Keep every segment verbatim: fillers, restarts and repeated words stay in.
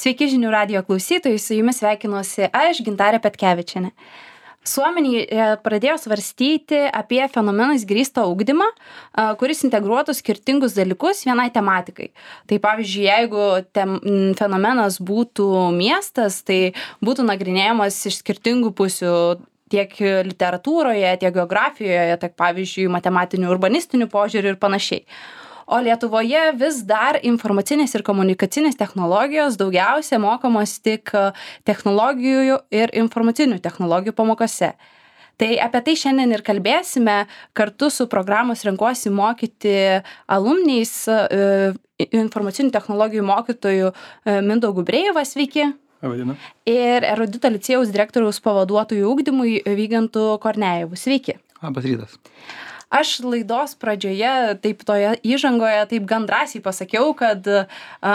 Sveiki žinių radijo klausytojai, su jumis sveikinuosi aš, Gintarė Petkevičienė. Suomiai pradėjo svarstyti apie fenomenais grįstą ugdymą, kuris integruotų skirtingus dalykus vienai tematikai. Tai pavyzdžiui, jeigu tem, fenomenas būtų miestas, tai būtų nagrinėjamas iš skirtingų pusių tiek literatūroje, tiek geografijoje, tiek pavyzdžiui matematinių, urbanistinių požiūrių ir panašiai. O Lietuvoje vis dar informacinės ir komunikacinės technologijos daugiausia mokomos tik technologijų ir informacinių technologijų pamokose. Tai apie tai šiandien ir kalbėsime kartu su programos Renkuosi mokyti alumniais informacinių technologijų mokytojų Mindaugu Brejeva, sveiki. Vadina. Ir Erudito licėjaus direktoriaus pavaduotojų ugdymui Vygantu Kornejevu, sveiki. Labas rytas. Aš laidos pradžioje, taip toje įžangoje, taip gan drąsiai pasakiau, kad a,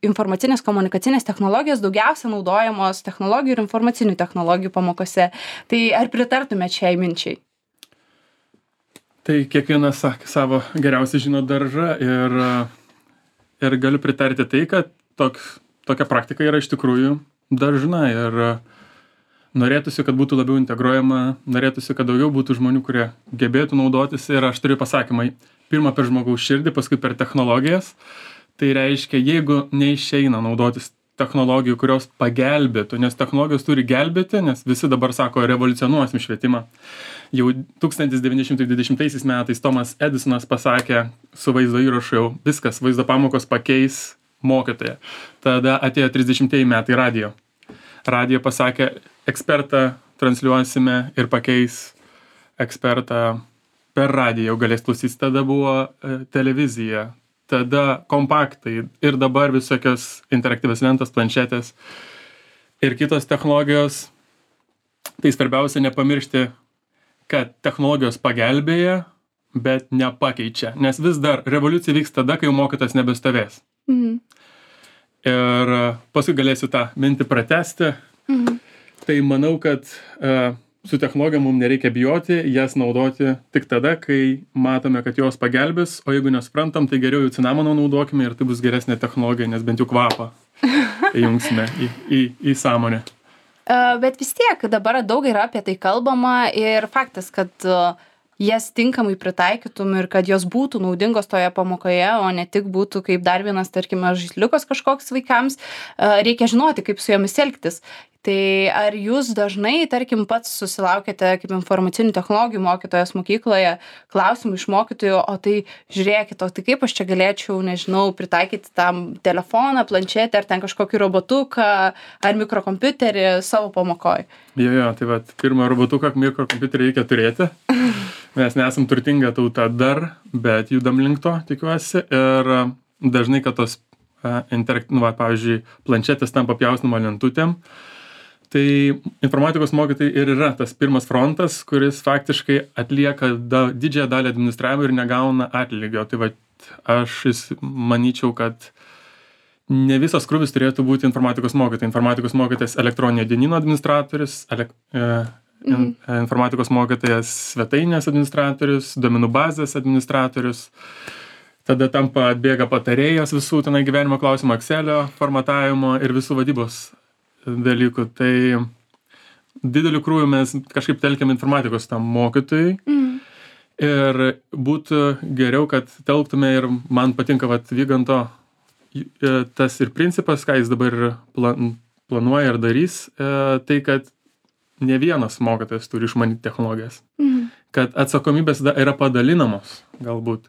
informacinės komunikacinės technologijos daugiausia naudojamos technologijų ir informacinių technologijų pamokose. Tai ar pritartumėte šiai minčiai? Tai kiekvienas savo geriausiai žino daržą ir, ir galiu pritarti tai, kad toks, tokia praktika yra iš tikrųjų dažna ir norėtųsi, kad būtų labiau integruojama, norėtųsi, kad daugiau būtų žmonių, kurie gebėtų naudotis ir aš turiu pasakymą, pirmą per žmogaus širdį, paskui per technologijas. Tai reiškia, jeigu neišeina naudotis technologijų, kurios pagelbėtų, nes technologijos turi gelbėti, nes visi dabar sako, revoliucionuosim švietimą. Jau tūkstantis devyni šimtai dvidešimtaisiais metais Tomas Edisonas pasakė su vaizdo įrašu jau, viskas, vaizdo pamokos pakeis mokytoją. Tada atėjo trisdešimtieji metai radijo. Radijo pasakė, ekspertą transliuosime ir pakeis ekspertą per radiją, jau galės klausytis. Tada buvo e, televizija, tada kompaktai ir dabar visokios interaktyvios lentos, planšetės ir kitos technologijos. Tai svarbiausia nepamiršti, kad technologijos pagelbėja, bet nepakeičia, nes vis dar revoliucija vyks tada, kai jau mokytas nebestovės. Mhm. Ir paskui galėsiu tą mintį pratęsti. Mhm. Tai manau, kad uh, su technologija mums nereikia bijoti, jas naudoti tik tada, kai matome, kad jos pagelbės, o jeigu nesuprantam, tai geriau jų cinamono naudokime ir tai bus geresnė technologija, nes bent jau kvapą įjungsime į, į, į sąmonę. Uh, bet vis tiek dabar daug yra apie tai kalbama ir faktas, kad uh, jas tinkamai pritaikytum ir kad jos būtų naudingos toje pamokoje, o ne tik būtų kaip dar vienas, tarkime, žaisliukas kažkoks vaikams, reikia žinoti, kaip su jomis elgtis. Tai ar jūs dažnai, tarkim, pats susilaukėte kaip informacinių technologijų mokytojas mokykloje klausimų iš mokytojų, o tai žiūrėkit, o tai kaip aš čia galėčiau, nežinau, pritaikyti tam telefoną, planšetę ar ten kažkokį robotuką ar mikrokompiuterį savo pamokoje? Jo, jo, tai vat, pirmą robotuką, mikrokompiuterį reikia turėti. Mes nesam turtinga tauta dar, bet judam link to, tikiuosi. Ir dažnai, kad tos, uh, interakt, nu, va, pavyzdžiui, planšetės tampa pjaustinimo lentutėm, tai informatikos mokytojai ir yra tas pirmas frontas, kuris faktiškai atlieka da, didžiąją dalį administravimo ir negauna atlygio. Tai va, aš manyčiau, kad ne visas krūvis turėtų būti informatikos mokytojai. Informatikos mokytojas elektroninio dienyno administratorius, elek, e, in, informatikos mokytojas svetainės administratorius, duomenų bazės administratorius. Tada tampa atbėga patarėjas visų tenai gyvenimo klausimų, Excelio formatavimo ir visų vadybos dalykų. Tai dideliu krūviu mes kažkaip telkiam informatikos tam mokytojui. Mm. Ir būtų geriau, kad telktume ir man patinka vat Vyganto tas ir principas, ką jis dabar plan, planuoja ir darys, tai kad ne vienas mokytojas turi išmanyti technologijas. Mm. Kad atsakomybės yra padalinamos galbūt.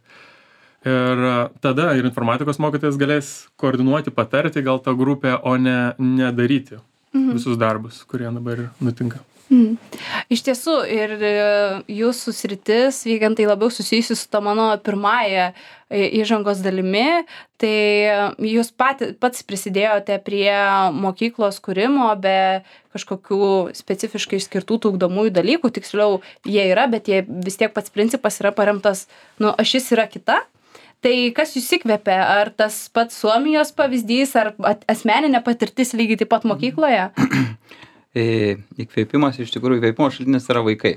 Ir tada ir informatikos mokytojas galės koordinuoti, patarti gal tą grupę, o ne nedaryti mhm. visus darbus, kurie dabar nutinka. Mhm. Iš tiesų, ir jūsų sritis, Vygantai, labiau susijusi su to mano pirmąją įžangos dalimi, tai jūs pat, pats prisidėjote prie mokyklos kūrimo be kažkokių specifiškai skirtų ugdomųjų dalykų, tiksliau jie yra, bet jie vis tiek pats principas yra paremtas, nu, ašis yra kita. Tai kas jūs įkvėpė? Ar tas pats Suomijos pavyzdys, ar asmeninė patirtis lygiai taip pat mokykloje? Įkvėpimas, iš tikrųjų, įkvėpimo šaltinis yra vaikai.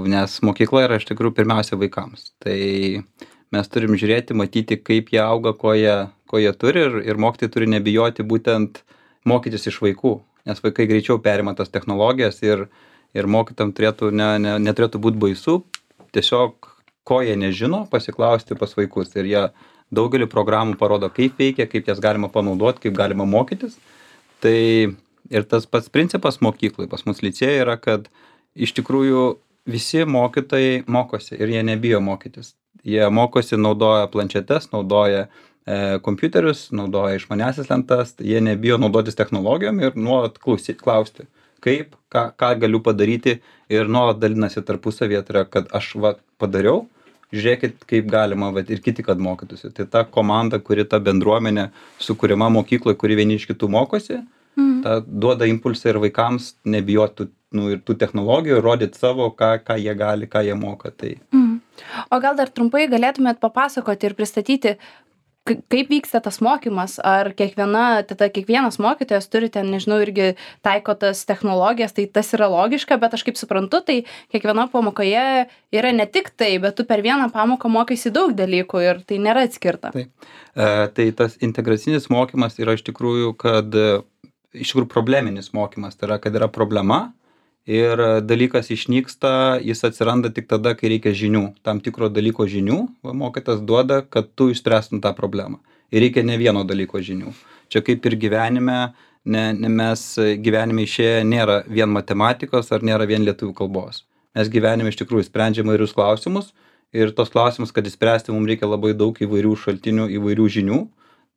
Nes mokykla yra iš tikrųjų pirmiausia vaikams. Tai mes turim žiūrėti, matyti, kaip jie auga, ko jie, ko jie turi ir, ir mokytojai turi nebijoti būtent mokytis iš vaikų, nes vaikai greičiau perima tas technologijas ir, ir mokytam turėtų, ne, ne, neturėtų būti baisu, tiesiog ko jie nežino, pasiklausti pas vaikus ir jie daugelį programų parodo, kaip veikia, kaip jas galima panaudoti, kaip galima mokytis. Tai ir tas pats principas mokyklai, pas mus licėje yra, kad iš tikrųjų visi mokytojai mokosi ir jie nebijo mokytis. Jie mokosi, naudoja planšetes, naudoja e, kompiuterius, naudoja išmaniąsias lentas, jie nebijo naudotis technologijom ir nuolat klausyt, klausti, kaip, ką, ką galiu padaryti ir nuolat dalinasi tarpusavėje, tai yra, kad aš va, padariau, žiūrėkit, kaip galima va, ir kiti, kad mokytųsi. Tai ta komanda, kuri ta bendruomenė sukūrima mokykloje, kuri vieni iš kitų mokosi, mm. ta duoda impulsą ir vaikams nebijotų nu, ir tų technologijų, rodyti savo, ką, ką jie gali, ką jie moka. Tai. Mm. O gal dar trumpai galėtumėt papasakoti ir pristatyti, kaip vyksta tas mokymas, ar kiekviena, tada kiekvienas mokytojas turi ten, nežinau, irgi taiko tas technologijas, tai tas yra logiška, bet aš kaip suprantu, tai kiekviena pamokoje yra ne tik tai, bet tu per vieną pamoką mokaisi daug dalykų ir tai nėra atskirta. Tai, e, tai tas integracinis mokymas yra iš tikrųjų, kad iš tikrųjų probleminis mokymas, tai yra, kad yra problema ir dalykas išnyksta, jis atsiranda tik tada, kai reikia žinių, tam tikro dalyko žinių, va, mokytas duoda, kad tu išspręstum tą problemą. Ir reikia ne vieno dalyko žinių. Čia kaip ir gyvenime, ne, ne mes gyvenime išėję nėra vien matematikos ar nėra vien lietuvių kalbos. Mes gyvenime iš tikrųjų sprendžiame įvairius klausimus ir tos klausimus, kad išspręsti, mums reikia labai daug įvairių šaltinių, įvairių žinių.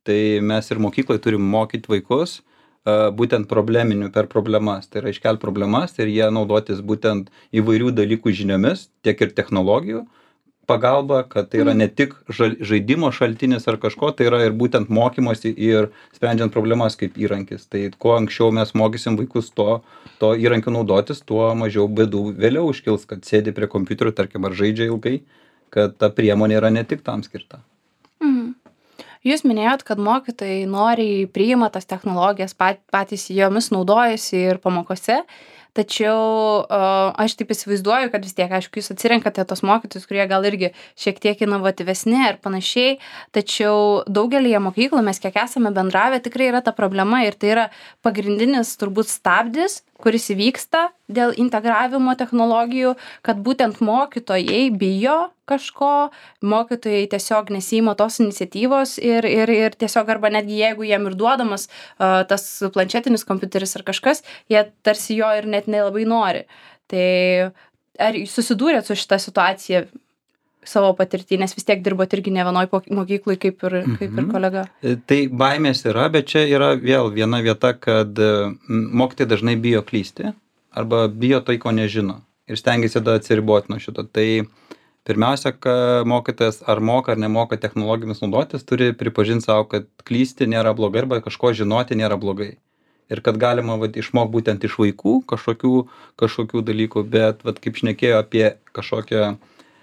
Tai mes ir mokyklai turim mokyti vaikus būtent probleminių per problemas, tai yra iškelti problemas ir jie naudotis būtent įvairių dalykų žiniomis, tiek ir technologijų pagalba, kad tai yra ne tik žaidimo šaltinis ar kažko, tai yra ir būtent mokymosi ir sprendžiant problemas kaip įrankis. Tai kuo anksčiau mes mokysim vaikus to, to įrankiu naudotis, tuo mažiau bėdų vėliau iškils, kad sėdi prie kompiuterio, tarkim, ar žaidžia ilgai, kad ta priemonė yra ne tik tam skirta. Mhm. Jūs minėjot, kad mokytojai noriai priima tas technologijas, pat, patys jomis naudojasi ir pamokose, tačiau uh, aš taip įsivaizduoju, kad vis tiek, aišku, jūs atsirenkate tos mokytojus, kurie gal irgi šiek tiek inovatyvesni ir panašiai, tačiau daugelį mokyklų mes kiek esame bendravę, tikrai yra ta problema ir tai yra pagrindinis turbūt stabdis, kuris įvyksta dėl integravimo technologijų, kad būtent mokytojai bijo kažko, mokytojai tiesiog nesiima tos iniciatyvos ir, ir, ir tiesiog arba netgi jeigu jiem ir duodamas uh, tas planšetinis kompiuteris ar kažkas, jie tarsi jo ir net nelabai nori. Tai ar susidūrėt su šita situacija savo patirtį, nes vis tiek dirbot irgi ne vienoj mokyklai kaip ir, kaip ir kolega? Tai baimės yra, bet čia yra vėl viena vieta, kad mokytojai dažnai bijo klysti arba bijo tai, ko nežino ir stengiasi tada atsiriboti nuo šito. Tai pirmiausia, kad mokytojas ar moka ar nemoka technologijomis naudotis, turi pripažinti savo, kad klysti nėra blogai arba kažko žinoti nėra blogai. Ir kad galima vat, išmokti būtent iš vaikų kažkokių, kažkokių dalykų, bet vat, kaip šnekėjo apie kažkokią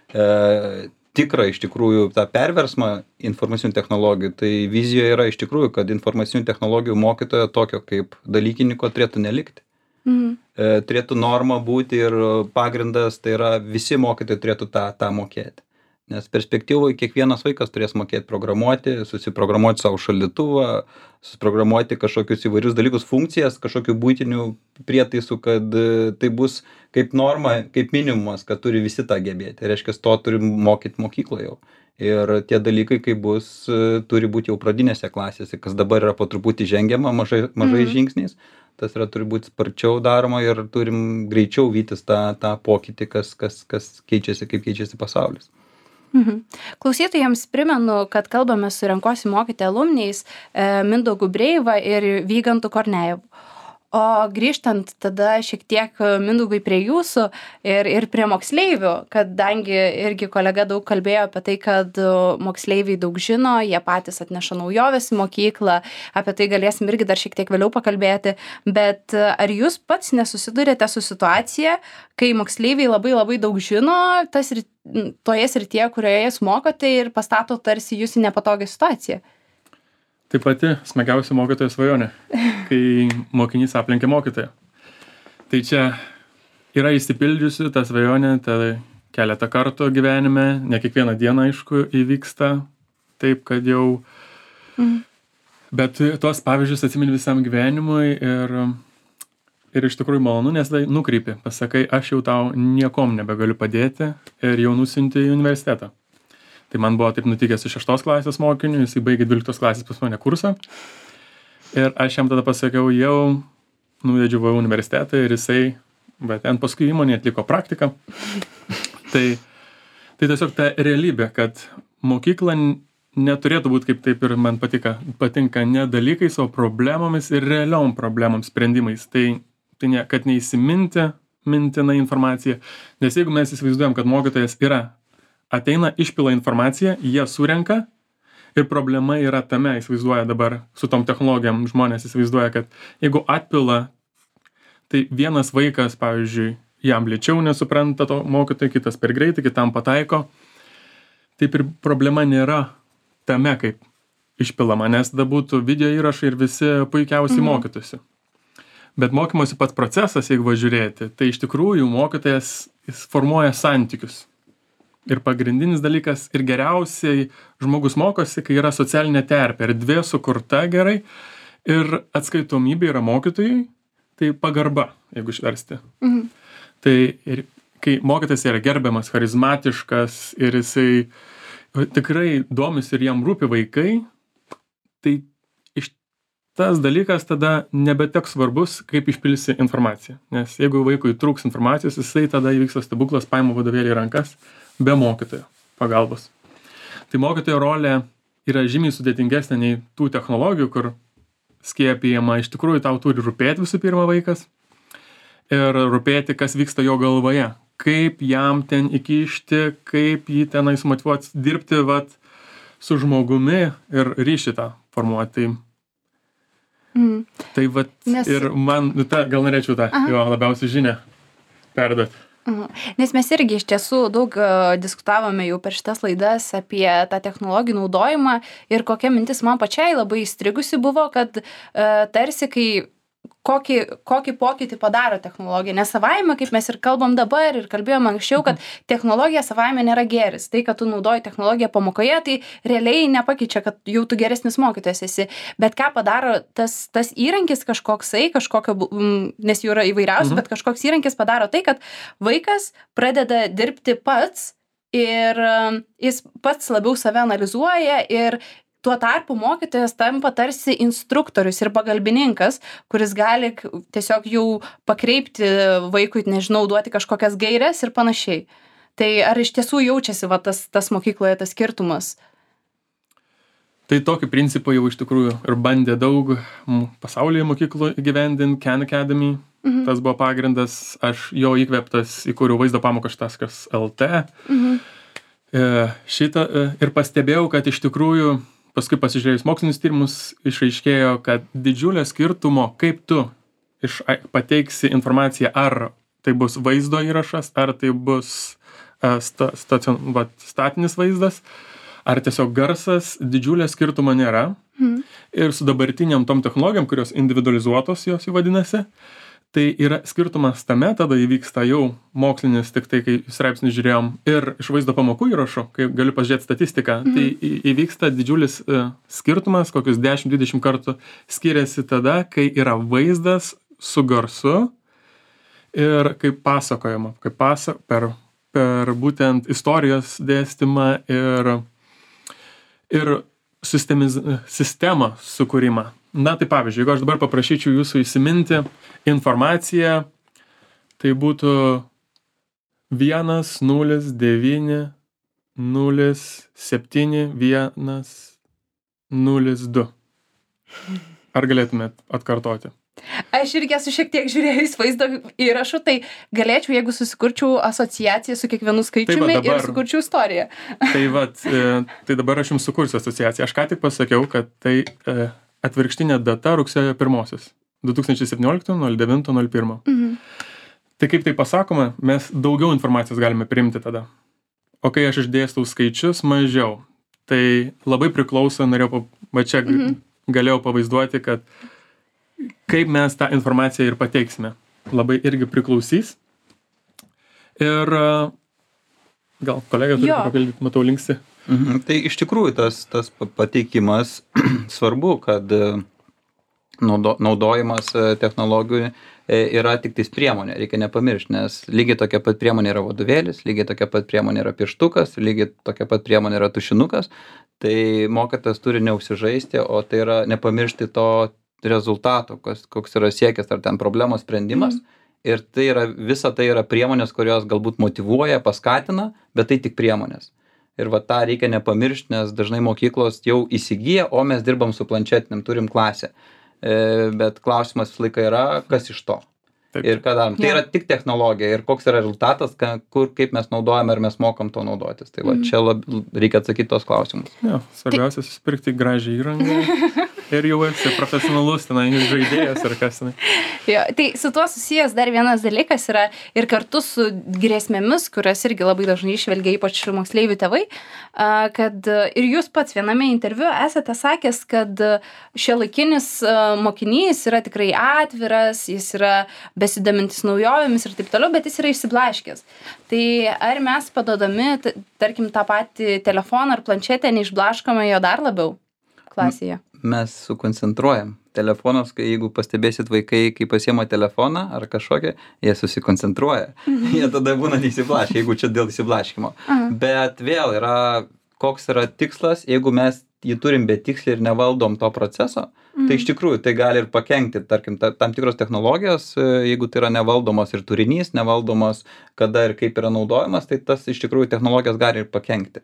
E, tikrą iš tikrųjų tą perversmą informacinių technologijų, tai vizijoje yra iš tikrųjų, kad informacinių technologijų mokytojo tokio kaip dalykininko turėtų nelikti. Mhm. E, turėtų norma būti ir pagrindas, tai yra visi mokytojai turėtų tą, tą mokėti. Nes perspektyvoje kiekvienas vaikas turės mokėti programuoti, susiprogramuoti savo šaldytuvą, susiprogramuoti kažkokius įvairius dalykus, funkcijas, kažkokių būtinių prietaisų, kad tai bus kaip norma, kaip minimumas, kad turi visi tą gebėti. Tai reiškia, to turi mokyti mokykloje jau. Ir tie dalykai, kai bus, turi būti jau pradinėse klasėse, kas dabar yra po truputį žengiama mažai, mažai mm. žingsniais. Tas yra turi būti sparčiau daroma ir turim greičiau vytis tą, tą pokytį, kas, kas, kas keičiasi, kaip keičiasi pasaulis. Mhm. Klausytojams primenu, kad kalbame su Renkuosi mokyti alumniais e, Mindaugu Breiva ir Vygantu Kornejevu. O grįžtant tada šiek tiek Mindaugai prie jūsų ir, ir prie moksleivių, kadangi irgi kolega daug kalbėjo apie tai, kad moksleiviai daug žino, jie patys atneša naujoves į mokyklą, apie tai galėsim irgi dar šiek tiek vėliau pakalbėti, bet ar jūs pats nesusidurėte su situacija, kai moksleiviai labai labai daug žino, tas ir toje srityje, kurioje jūs mokote ir pastato tarsi jūs į nepatogią situaciją? Tai pati smagiausia mokytojo svajonė, kai mokinys aplenkia mokytoją. Tai čia yra išsipildžiusi ta svajonė, tai keletą kartų gyvenime, ne kiekvieną dieną, aišku, įvyksta taip, kad jau mm. Bet tuos pavyzdžius atsimeni visam gyvenimui ir, ir iš tikrųjų malonu, nes tai nukreipi, pasakai, aš jau tau niekom nebegaliu padėti ir jau nusiunti į universitetą. Tai man buvo taip nutikęs su šeštos klasės mokiniu, jisai baigė dvyliktos klasės pas mane kursą ir aš jam tada pasakiau, jau nuvedžiau į universitetą ir jisai, bet ten paskui įmonė atliko praktiką. Tai, tai tiesiog ta realybė, kad mokykla neturėtų būti, kaip taip ir man patika, patinka, ne dalykais, o problemomis ir realiom problemom sprendimais. Tai, tai ne, kad neįsiminti mintina informacija, nes jeigu mes įsivaizduojam, kad mokytojas yra, ateina, išpila informaciją, jie surenka ir problema yra tame, įsivaizduoja dabar su tom technologijom, žmonės įsivaizduoja, kad jeigu atpila, tai vienas vaikas, pavyzdžiui, jam lėčiau nesupranta to mokytojo, kitas per greitai, kitam pataiko, taip ir problema nėra tame, kaip išpilama, nes tada būtų video įrašai ir visi puikiausiai mhm. mokytųsi. Bet mokymosi pats procesas, jeigu važiuojate, tai iš tikrųjų mokytojas jis formuoja santykius. Ir pagrindinis dalykas ir geriausiai žmogus mokosi, kai yra socialinė terpė, erdvė sukurta gerai ir atskaitomybė yra mokytojai, tai pagarba, jeigu išversti. Mhm. Tai ir kai mokytojas yra gerbiamas, charizmatiškas ir jisai tikrai domis ir jam rūpi vaikai, tai iš tas dalykas tada nebeteks svarbus, kaip išpilsi informaciją. Nes jeigu vaikui trūks informacijos, jisai tada įvyksta stebuklas, paima vadovėlį į rankas be mokytojo pagalbos. Tai mokytojo rolė yra žymiai sudėtingesnė nei tų technologijų, kur skiepijama, iš tikrųjų tau turi rūpėti visų pirma vaikas ir rūpėti, kas vyksta jo galvoje. Kaip jam ten įkišti, kaip jį tenais motyvuoti dirbti vat, su žmogumi ir ryšį tą formuoti. Tai, mm. tai vat, Nes... ir man, ta, gal norėčiau tą jo labiausiai žinią perduoti. Nes mes irgi iš tiesų daug uh, diskutavome jau per šitas laidas apie tą technologijų naudojimą ir kokia mintis man pačiai labai įstrigusi buvo, kad uh, tarsi kai kokį, kokį pokytį padaro technologija. Nes savaime, kaip mes ir kalbam dabar ir kalbėjom anksčiau, kad technologija savaime nėra geris. Tai, kad tu naudoji technologiją pamokoje, tai realiai nepakeičia, kad jau tu geresnis mokytojas esi. Bet ką padaro tas, tas įrankis kažkoksai, kažkokio, nes jų yra įvairiausių, mhm. bet kažkoks įrankis padaro tai, kad vaikas pradeda dirbti pats ir jis pats labiau save analizuoja ir tuo tarpu mokytojas tampa tarsi instruktorius ir pagalbininkas, kuris gali tiesiog jau pakreipti vaikui, nežinau, duoti kažkokias gaires ir panašiai. Tai ar iš tiesų jaučiasi va, tas, tas mokykloje tas skirtumas? Tai tokį principą jau iš tikrųjų ir bandė daug pasaulyje mokyklų įgyvendinti, Khan Academy. Mhm. Tas buvo pagrindas, aš jo įkvėptas įkūriau vaizdo pamokas taškas lt. Mhm. E, šitą e, ir pastebėjau, kad iš tikrųjų paskui pasižiūrėjus mokslinius tyrimus išaiškėjo, kad didžiulio skirtumo, kaip tu iš, pateiksi informaciją, ar tai bus vaizdo įrašas, ar tai bus uh, sta, stacion, va, statinis vaizdas, ar tiesiog garsas, didžiulio skirtumo nėra. Mm. Ir su dabartiniam tom technologijom, kurios individualizuotos jos įvadinasi, tai yra skirtumas tame, tada įvyksta jau mokslinis, tik tai, kai straipsnį žiūrėjom ir iš vaizdo pamokų įrašo, kai galiu pažiūrėti statistiką, mm. tai įvyksta didžiulis uh, skirtumas, kokius dešimt dvidešimt kartų skiriasi tada, kai yra vaizdas su garsu ir kaip pasakojama, kaip pasa, per, per būtent istorijos dėstymą ir, ir sistemiz, sistemą sukūrimą. Na, tai pavyzdžiui, jeigu aš dabar paprašyčiau jūsų įsiminti informaciją, tai būtų vienas, nulis, devyni, nulis, septyni, vienas, nulis, du. Ar galėtumėt atkartoti? Aš irgi esu šiek tiek žiūrėjus vaizdo įrašų, tai galėčiau, jeigu susikurčiau asociaciją su kiekvienu skaičiumi tai va, dabar, ir sukurčiau istoriją. Tai, va, tai dabar aš jums sukursiu asociaciją. Aš ką tik pasakiau, kad tai e, atvirkštinė data rugsėjo pirmosios. du tūkstančiai septynioliktų nulis devinto nulis pirmo. Mhm. Tai kaip tai pasakoma, mes daugiau informacijos galime priimti tada. O kai aš išdėstau skaičius, mažiau. Tai labai priklauso, norėjau, va čia mhm. galėjau pavaizduoti, kad kaip mes tą informaciją ir pateiksime. Labai irgi priklausys. Ir gal kolega turi papildyti, matau linksi. Mhm. Tai iš tikrųjų tas, tas pa- pateikimas svarbu, kad e, naudo, naudojimas e, technologijų e, yra tik tais priemonė, reikia nepamiršti, nes lygiai tokia pat priemonė yra vadovėlis, lygiai tokia pat priemonė yra pieštukas, lygiai tokia pat priemonė yra tušinukas, tai mokytojas turi neužsižaisti, o tai yra nepamiršti to rezultato, kas, koks yra siekis ar ten problemos sprendimas. Mm. Ir tai yra, visa tai yra priemonės, kurios galbūt motyvuoja, paskatina, bet tai tik priemonės. Ir va tą reikia nepamiršti, nes dažnai mokyklos jau įsigyja, o mes dirbam su planšetiniam, turim klasę. E, bet klausimas visą laiką yra, kas iš to. Taip. Ir ką darom. Tai Ja. yra tik technologija ir koks yra rezultatas, ka, kur, kaip mes naudojame, ar mes mokam to naudotis. Tai va Mhm. čia lab, reikia atsakyti tos klausimus. Jo, svarbiausia susipirkti gražią įrangą ir jau esi profesionalus tenai žaidėjas ar kas tenai. Jo, tai su tuo susijęs dar vienas dalykas yra ir kartu su grėsmėmis, kurias irgi labai dažnai išvelgia ypač moksleivių tėvai, a, kad a, ir jūs pats viename interviu esate sakęs, kad šiuolaikinis a, mokinys yra tikrai atviras, jis yra besidomintis naujovėmis ir taip toliau, bet jis yra išsiblaškęs. Tai ar mes padodami, t- tarkim, tą patį telefoną ar planšetę neišblaškome jo dar labiau klasėje? Mes sukoncentruojam. Telefonas, kai jeigu pastebėsit vaikai, kai pasiema telefoną ar kažkokią, jie susikoncentruoja. Jie tada būna neįsiblaškę, jeigu čia dėl įsiblaškymo. Aha. Bet vėl yra, koks yra tikslas, jeigu mes jį turim betiksliai ir nevaldom to proceso, tai iš tikrųjų tai gali ir pakenkti, tarkim, ta, tam tikros technologijos, e, jeigu tai yra nevaldomos ir turinys, nevaldomos, kada ir kaip yra naudojamas, tai tas iš tikrųjų technologijos gali ir pakenkti.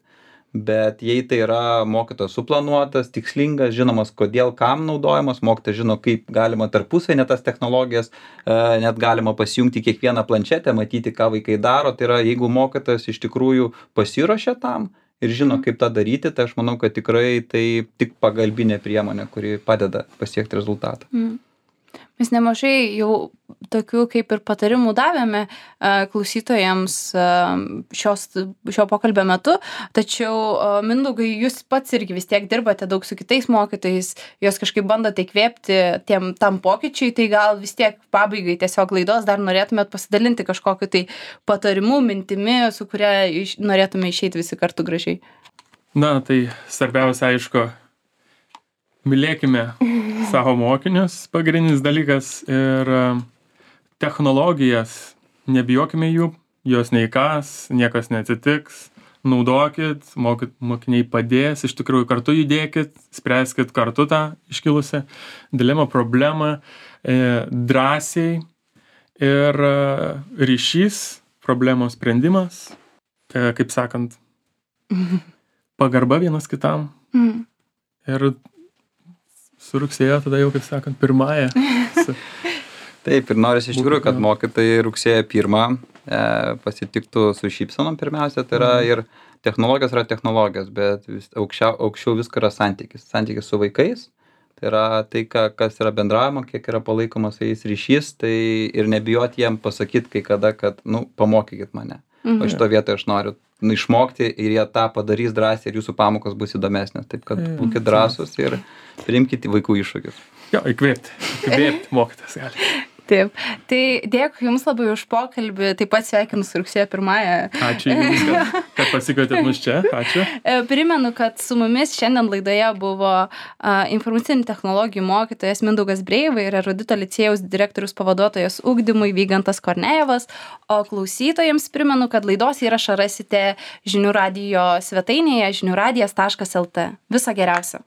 Bet jei tai yra mokytojas suplanuotas, tikslingas, žinomas, kodėl kam naudojamas, mokytojas žino, kaip galima tarpusavy net tas technologijas, e, net galima pasijungti kiekvieną planšetę, matyti, ką vaikai daro. Tai yra, jeigu mokytojas iš tikrųjų pasiruošia tam ir žino, kaip tą daryti, tai aš manau, kad tikrai tai tik pagalbinė priemonė, kuri padeda pasiekti rezultatą. Mm. Mes nemažai jau tokių kaip ir patarimų davėme a, klausytojams a, šios, šio pokalbio metu, tačiau a, Mindaugai, jūs pats irgi vis tiek dirbate daug su kitais mokytojais, jos kažkaip bandote įkvėpti tiem, tam pokyčiui, tai gal vis tiek pabaigai tiesiog laidos dar norėtumėt pasidalinti kažkokiu tai patarimu, mintimi, su kuria iš, norėtume išeiti visi kartu gražiai. Na, tai svarbiausia, aišku, mylėkime savo mokinius, pagrindinis dalykas, ir e, technologijas, nebijokime jų, jos neįkas, niekas neatsitiks, naudokit, mokyt, mokiniai padės, iš tikrųjų kartu judėkit, spręskit kartu tą iškilusią dilemą, problemą, e, drąsiai ir e, ryšys, problemos sprendimas, e, kaip sakant, pagarba vienas kitam. Mm. Ir su rugsėjo tada jau, kaip sakant, pirmąją. Su... Taip, ir norisi iš tikrųjų, kad Būtų- mokytojai rugsėjo pirmą e, pasitiktų su šypsenom pirmiausia, tai yra ir technologijos yra technologijos, bet vis, aukščiau, aukščiau viską yra santykis. Santykis su vaikais, tai yra tai, ką, kas yra bendravimo, kiek yra palaikomas su jais ryšys, tai ir nebijoti jiem pasakyti kai kada, kad, nu, pamokykit mane. Mhm. O šito vietoje aš noriu nu, išmokti ir jie tą padarys drąsiai ir jūsų pamokos bus įdomesnės. Taip kad Mm. būkite drąsūs ir priimkite vaikų iššūkius. Jo, įkvėpti. Įkvėpti mokytas gali. Taip. Tai dėkui Jums labai už pokalbį, taip pat sveikinu su rugsėjo pirmąją. Ačiū Jums, kad, kad pasikvietėt mus čia. Ačiū. E, Primenu, kad su mumis šiandien laidoje buvo a, informacinių technologijų mokytojas Mindaugas Breiva ir Erudito licėjaus direktorius pavaduotojas ugdymui Vygantas Kornejevas, o klausytojams primenu, kad laidos įrašą rasite žinių radijo svetainėje žinių radijas taškas lt. Viso geriausio.